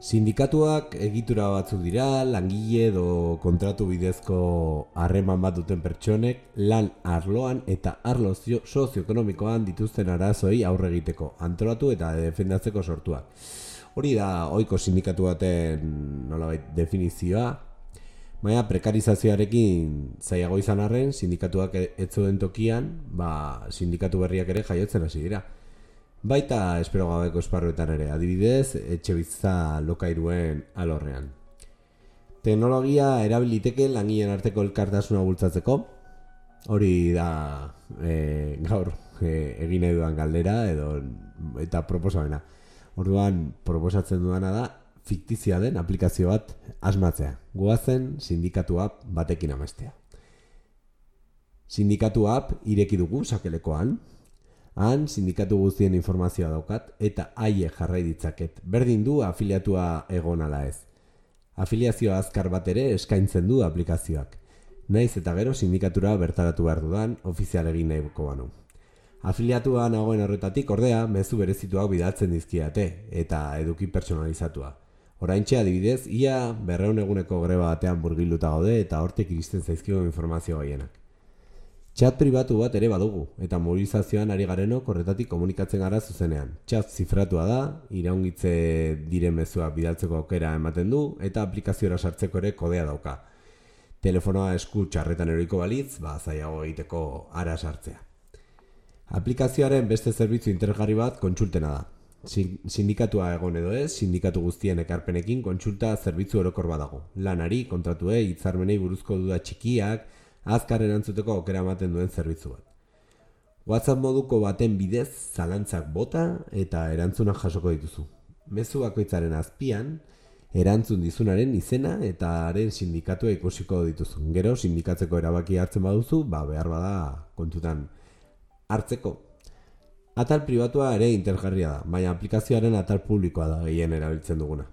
Sindikatuak egitura batzuk dira, langile edo kontratu bidezko harreman bat duten pertsonek lan arloan eta arlo sozioekonomikoan dituzten arazoei aurre egiteko, antolatu eta defendatzeko sortuak. Hori da ohiko sindikatu baten nolabait definizioa, baina prekarizazioarekin zailago izan arren, sindikatuak ez zeuden tokian, sindikatu berriak ere jaiotzen hasi dira. Baita espero gabeko esparruetan ere, adibidez, etxebizitza lokairuen alorrean. Teknologia erabiliteke langileen arteko elkartasuna bultzatzeko, hori da gaur egin nahi dudan galdera eta proposamena. Orduan proposatzen duana da fiktizia den aplikazio bat asmatzea. Goazen sindikatu app batekin amestea. Sindikatu app ireki dugu sakelekoan. Han sindikatu guztien informazioa daukat eta haiek jarrai ditzaket. Berdin du afiliatua egon ala ez. Afiliazioa azkar bat ere eskaintzen du aplikazioak. Naiz eta gero sindikatura bertaratu behar dudan ofizial egin nahiko banu. Afiliatua nagoen horretatik ordea mezu berezituak bidaltzen dizkiate eta eduki personalizatua. Oraintxe adibidez, ia 200 eguneko greba batean murgilduta gaude eta hortik iristen zaizkigu informazio gehienak. Chat pribatu bat ere badugu, eta mobilizazioan ari garenok horretatik komunikatzen gara zuzenean. Chat zifratua da, iraungitze diren mezuak bidaltzeko aukera ematen du, eta aplikaziora sartzeko ere kodea dauka. Telefonoa esku txarretan eroiko balitz, zailago egiteko ara sartzea. Aplikazioaren beste zerbitzu interesgarri bat kontsultena da. Sindikatua egon edo ez, sindikatu guztien ekarpenekin kontsulta zerbitzu orokor badago. Lanari, kontratuei, hitzarmenei buruzko duda txikiak, azkar erantzuteko aukera ematen duen zerbitzu bat. WhatsApp moduko baten bidez zalantzak bota eta erantzunak jasoko dituzu. Mezu bakoitzaren azpian, erantzun dizunaren izena eta haren sindikatua ikusiko dituzu. Gero, sindikatzeko erabaki hartzen baduzu, behar bada kontutan hartzeko. Atal pribatua ere interesgarria da, baina aplikazioaren atal publikoa da gehien erabiltzen duguna.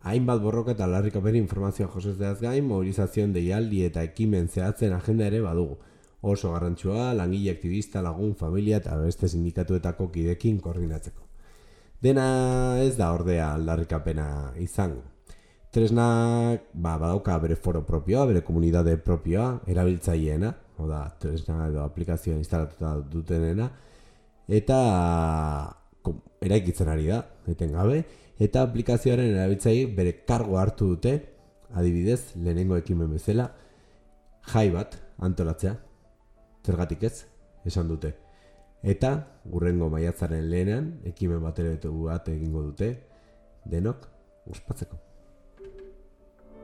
Hainbat borroka eta aldarrikapen informazioa josezteaz gain, mobilizazioen deialdi eta ekimen zehatzen agenda ere badugu. Oso garrantzua, langile aktivista, lagun, familia eta beste sindikatuetako kidekin koordinatzeko. Dena ez da ordea aldarrikapena izango. Tresnak badauka bere foro propioa, bere komunidade propioa, erabiltzaileena, tresna edo aplikazioa instalatuta dutenena, eta eraikitzen ari da, etengabe, eta aplikazioaren erabiltzaileek bere kargo hartu dute, adibidez, lehenengo ekimen bezala, jai bat antolatzea, zergatik ez, esan dute. Eta, hurrengo maiatzaren lehenan, ekimen bat egingo dute, denok, ospatzeko.